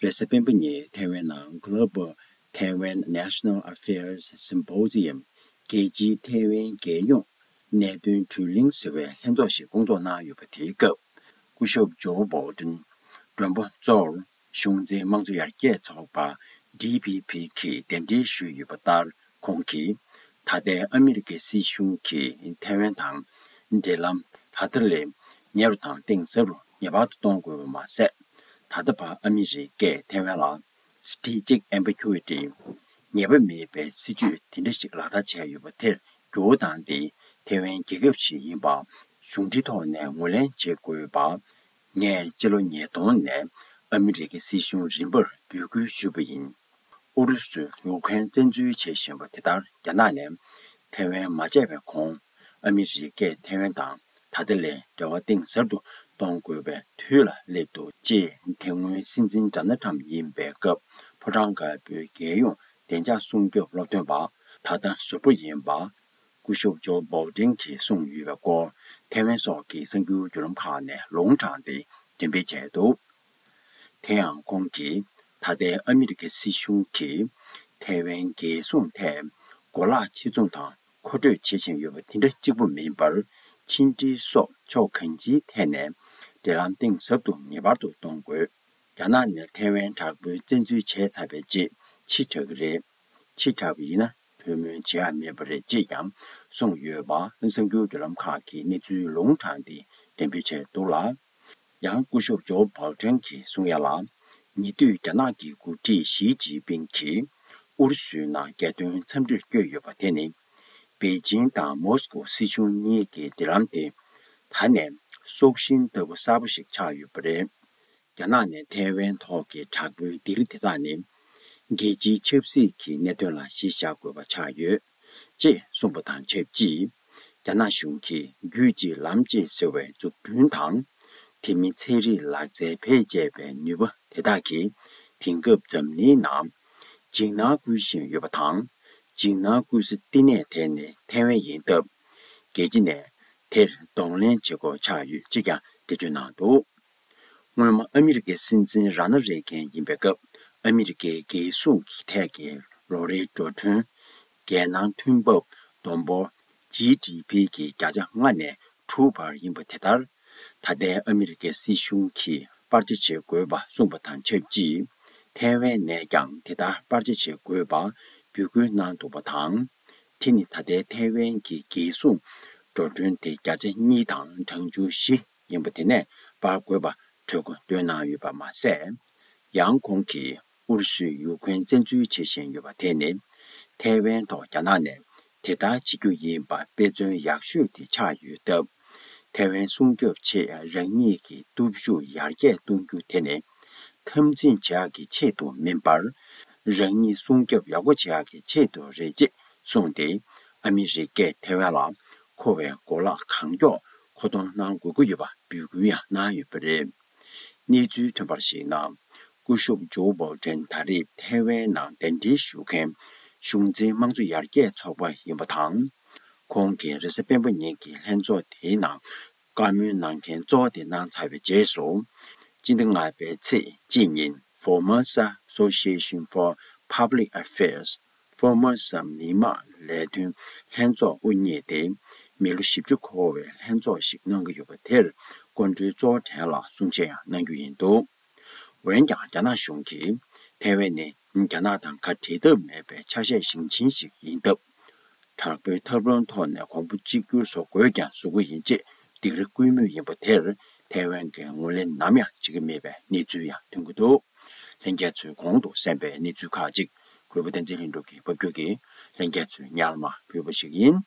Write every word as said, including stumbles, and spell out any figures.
རེས་གཟའ་སྤེན་པ་ཉིན་ཐེ་ཝན་ནང་Global Taiwan National Affairs Symposium རྒྱལ་སྤྱིའི་ཐེ་ཝན་རྒྱལ་ཡོངས་གནད་དོན་གྲོས་གླེང་ཟེར་བའི་ལྷན་ཚོགས་ཤིག་བསྐོང་ཚོགས་གནང་ཡོད་པ་དེའི་སྐབས། སྐུ་ཞབས་ཇོ་བྷའོ་ཏིན་མགྲོན་པོ་གཙོར་གཞུང་འཛིན་དམངས་གཙོ་ཡར་རྒྱས་ཚོགས་པ་ཌི་པི་པི་གིས་གདན་འདྲེན་ཞུས་ཡོད་པ་ལྟར། ཁོང་གིས་ད་ལྟའི་ཨ་མི་རི་ཀའི་སྲིད་གཞུང་གིས་ཐེ་ཝན་དང་འབྲེལ་ལམ་ད་ལྟ་ལས་ཉེ་རུ་དང་གཏིང་ཟབ་རུ་ངེས་པར་དུ་གཏོང་དགོས་པ་མ་ཟད། ད་ལྟ་བར་ཨ་མི་རི་ཀས་ཐེ་ཝན་ལ་Strategic Ambiguity ངེས་པ་མེད་པའི་སྲིད་ཇུས་དེ་འདྲ་ཞིག་ལག་བསྟར་བྱས་ཡོད་པ་དེར་འགྱུར་བ་བཏང་སྟེ། ཐེ་ཝན་རྒྱལ་ཁབ་ཞིག་ཡིན་པ་གཞུང་འབྲེལ་ཐོག་ནས་ངོས་ལེན་བྱེད་དགོས་པ། ངས་སྤྱི་ལོ་ཉིས་སྟོང་ནས་ཨ་མི་རི་ཀའི་སྲིད་གཞུང་རིམ་པར་འབོད་སྐུལ་ཞུས་པ་ཡིན། ཨུ་རུ་སུས་ཡུ་ཁུ་རེན་བཙན་འཛུལ་བྱེད་བཞིན་པ་དེ་ལྟར། རྒྱ་ནག་ནས་ཐེ་ཝན་མ་བཅད་པའི་གོང་ཨ་མི་རི་ཀས་ཐེ་ཝན་དང་ད་ལྟ་ལས་འབྲེལ་བ་གཏིང་ཟབ་ཏུ་གཏོང་དགོས་པའི་དུས་ལ་སླེབས་འདུག་ཅེས་དེ་སྔོན་སྲིད་འཛིན་ཌོ་ནལ་ཁྲམ་ཡིན་པའི་སྐབས། ཕོ་བྲང་དཀར་པོའི་རྒྱལ་ཡོངས་བདེ་འཇགས་སྲུང་སྐྱོབ་སློབ་སྟོན་པ་ད་ལྟ་ཟུར་པ་ཡིན་པ། སྐུ་ཞབས་ཇོ་བྷའོ་ཏིན་གྱིས་གསུངས་ཡོད་པའི་སྐོར། ཐེ་ཝན་སོགས་ཀྱི་གསར་འགྱུར་བརྒྱུད་ལམ་ཁག་ནས་ལུང་དྲངས་ཏེ་འགྲེམས་སྤེལ་བྱས་འདུག་དེ་ཡང་ཁོང་གིས་ད་ལྟའི་ཨ་མི་རི་ཀའི་སྲིད་གཞུང་གིས་ཐེ་ཝན་རྒྱལ་སྲུང་ཐད་གོ་ལག་ཕྱིར་ཚོང་དང་མཁོ་སྤྲོད་བྱེད་བཞིན་ཡོད་པ་དེ་འདྲ་གཅིག་པུ་མིན་པར། ཕྱི་འབྲེལ་སོགས་ཕྱོགས་གང་ཅིའི་ཐད་ནས་འབྲེལ་ལམ་གཏིང་ཟབ་ཏུ་ངེས་པར་དུ་གཏོང་དགོས། རྒྱ་ནག་ནས་ཐེ་ཝན་དྲག་པོའི་བཙན་འཛུལ་བྱས་ཚར་བའི་རྗེས་ཕྱིར་དྲག་གི་རེད། ཕྱིར་དྲག་པ་ཡིན་ན་གྲོས་མོལ་བྱེད་ཡ་མེད་པ་རེད་ཅེས་ཀྱང་གསུངས་ཡོད་པ། གསར་འགྱུར་བརྒྱུད་ལམ་ཁག་གིས་གནས་ཚུལ་ལུང་དྲངས་ཏེ་འགྲེམས་སྤེལ་བྱས་འདུག་ལ། ཡང་སྐུ་ཞབས་ཇོ་བྷའོ་ཏིན་གྱིས་གསུང་ཡ་ལ། ཉེ་དུས་རྒྱ་ནག་གི་འགོ་ཁྲིད་ཞི་ཅིན་ཕིང་གིས་ཨུ་རུ་སུའི་ནང་རྒྱལ་དོན་འཚམས་འདྲིར་བསྐྱོད་ཡོད་པ་དེ་ནི། པེ་ཅིང་དང་མོ་སི་ཀོ་སྲིད་གཞུང་གཉིས་ཀྱི་འབྲེལ་ལམ་དེ་ད་ནས་སྲོག་ཤིང་ལྟ་བུ་གསར་པ་ཞིག་ཆགས་ཡོད་པ་རེད། རྒྱ་ནག་ནས་ཐའེ་ཝན་ཐོག་གི་དྲག་པོའི་སྡིགས་ར་དེ་དག་ནི། རྒྱལ་སྤྱིའི་ཆབ་སྲིད་ཀྱི་གནད་དོན་ལ་གཞི་བཞག་དགོས་པ་ཆགས་ཡོད། ཅེས་གསུངས་པ་དང་ཆབས་ཅིག་རྒྱ་ནག་གཞུང་གིས་རྒྱུད་གཅིག་ལམ་གཅིག་ཟེར་བའི་འཛུགས་སྐྲུན་དང་། དེ་མིན་ཚན་རིག་ལག་རྩལ་བེད་སྤྱད་པའི་ནུས་པ་དེ་དག་གིས། དེང་སྐབས་འཛམ་གླིང་ནང་འཇིགས་སྣང་སྐུལ་བཞིན་ཡོད་པ་དང་། འཇིགས་སྣང་སྐུལ་ས་བསྟི་གནས་དེ་ནི་ཐའེ་ཝན་ཡིན་སྟབས། རྒྱལ་སྤྱི་ནས་དེར་གདོང་ལེན་བྱེད་དགོས་ཆགས་ཡོད་ཅེས་ཀྱང་འགྲེལ་བརྗོད་གནང་འདུག་སྔོན་མ་ཨ་མི་རི་ཀའི་སྲིད་འཛིན་ར་ན་རེ་གན་ཡིན་པའི་སྐབས། ཨ་མི་རི་ཀའི་རྒྱལ་སྲུང་གི་ཐད་ཀྱི་ལོ་རེའི་འགྲོ་གྲོན་རྒྱལ་ནང་ཐོན་འབབ་བསྡོམས་འབོར་ཇི་ཌི་ཕི་གི་བརྒྱ་ཆ་ལྔ་ནས་དྲུག་བར་ཡིན་པ་དེ་ལྟར། ད་ལྟའི་ཨ་མི་རི་ཀའི་སྲིད་གཞུང་གིས་སྤར་ཆ་བྱེད་དགོས་པ་གསུངས་པ་དང་ཆབས་ཅིག་ཐའེ་ཝན་ནས་ཀྱང་དེ་ལྟར་སྤར་ཆ་བྱེད་དགོས་པ་འབོད་སྐུལ་གནང་འདུག་པ་དང་། དེ་ནི་ད་ལྟའི་ཐའེ་ཝན་གྱི་རྒྱལ་སྲུང་འགྲོ་གྲོན་དེ་བརྒྱ་ཆ་གཉིས་དང་གྲངས་ཆུང་བཞི་ཡིན་པ་དེ་ནས་སྤར་དགོས་པ་གྲོས་འགོ་བཏོན་གནང་ཡོད་པ་མ་ཟད། ཡང་ཁོང་གིས་ཨུ་རུ་སུས་ཡུ་ཁུ་རེན་བཙན་འཛུལ་བྱེད་བཞིན་ཡོད་པ་དེ་ནི། ཐའེ་ཝན་ཐོག་རྒྱ་ནག་ནས་དེ་ལྟར་བྱེད་རྒྱུ་ཡིན་པ་དཔེ་མཚོན་ཡག་ཤོས་དེ་ཆགས་ཡོད་སྟབས། ཐའེ་ཝན་སྲུང་སྐྱོབ་ཆེད་རང་ཉིད་ཀྱི་སྟོབས་ཤུགས་ཡར་རྒྱས་གཏོང་རྒྱུ་དེ་ནི། འཐབ་འཛིང་བྱེད་ཡག་གི་ཆེད་དུ་མིན་པར། རང་ཉིད་སྲུང་སྐྱོབ་ཡག་པོ་བྱེད་ཡག་གི་ཆེད་དུ་རེད་ཅེས་གསུངས་ཏེ། ཨ་མི་རི་ཀས་ཐའེ་ཝན་ལ་མཁོ་བའི་གོ་ལག་གང་མགྱོགས་མཁོ་གཏོང་གནང་དགོས་ཀྱི་ཡོད་པ་འབོད་སྐུལ་ཡང་གནང་ཡོད་པ་རེད། གནས་ཚུལ་ཐོན་པར་གཞིགས་ན། སྐུ་ཞབས་ཇོ་བྷའོ་ཏན་ད་རེས་ཐའེ་ཝན་ནང་གདན་འདྲེན་ཞུ་མཁན་གཞུང་འཛིན་དམངས་གཙོ་ཡར་རྒྱས་ཚོགས་པ་ཡིན་པ་དང་། ཁོང་གིས་རེས་གཟའ་སྤེན་པ་ཉིན་གྱི་ལྷན་ཚོགས་དེའི་ནང་བཀའ་མོལ་གནང་མཁན་གཙོ་བོ་དེ་གནང་ཚར་བའི་རྗེས་སུ། སྤྱི་ཟླ་ལྔ་པའི་ཚེས་གཅིག་ཉིན་Formosa Association for Public Affairs། ཧྥོར་མོ་ས་མི་དམངས་ལས་དོན་ལྷན་ཚོགས་དབུ་བརྙེས་ཏེ། མི་ལོ་བཞི་བཅུ་འཁོར་བའི་ལྷན་ཚོགས་ཤིག་གནང་གི་ཡོད་པ་དེར་སྐུ་མགྲོན་གཙོ་བོ་གྲས་ལ་གསུང་བཤད་ཡང་གནང་རྒྱུ་ཡིན་འདུག་འོན་ཀྱང་རྒྱ་ནག་གཞུང་གིས་ཐའེ་ཝན་ནི་རྒྱ་ནག་དང་ག་འབྲལ་ཐབས་མེད་པའི་ཆ་ཤས་ཞེང་ཆེན་ཞིག་ཡིན་སྟབས། དྲག་པོའི་ཐབས་ལམ་ཐོག་ནས་གོང་བུ་གཅིག་གྱུར་བཟོ་དགོས་ཀྱང་བཟོ་གི་ཡིན་ཅེས་སྡིགས་ར་སྐུལ་མུས་ཡིན་པ་དེར་ཐའེ་ཝན་གྱིས་ངོས་ལེན་ནམ་ཡང་བྱེད་ཀྱི་མེད་པའི་གནས་ཚུལ་ཡང་ཐོན་གྱི་འདུག་ལྷན་རྒྱས་ཚོས་གོང་དུ་གསན་པའི་གནས་ཚུལ་ཁག་ཅིག་གུས་པ་བསྟན་འཛིན་ལྷུན་གྲུབ་ཀྱིས་ཕབ་སྒྱུར་གྱིས་ལྷན་རྒྱས་ཚོའི་ཉར་མ་ཕུལ་བ་ཞིག་ཡིན།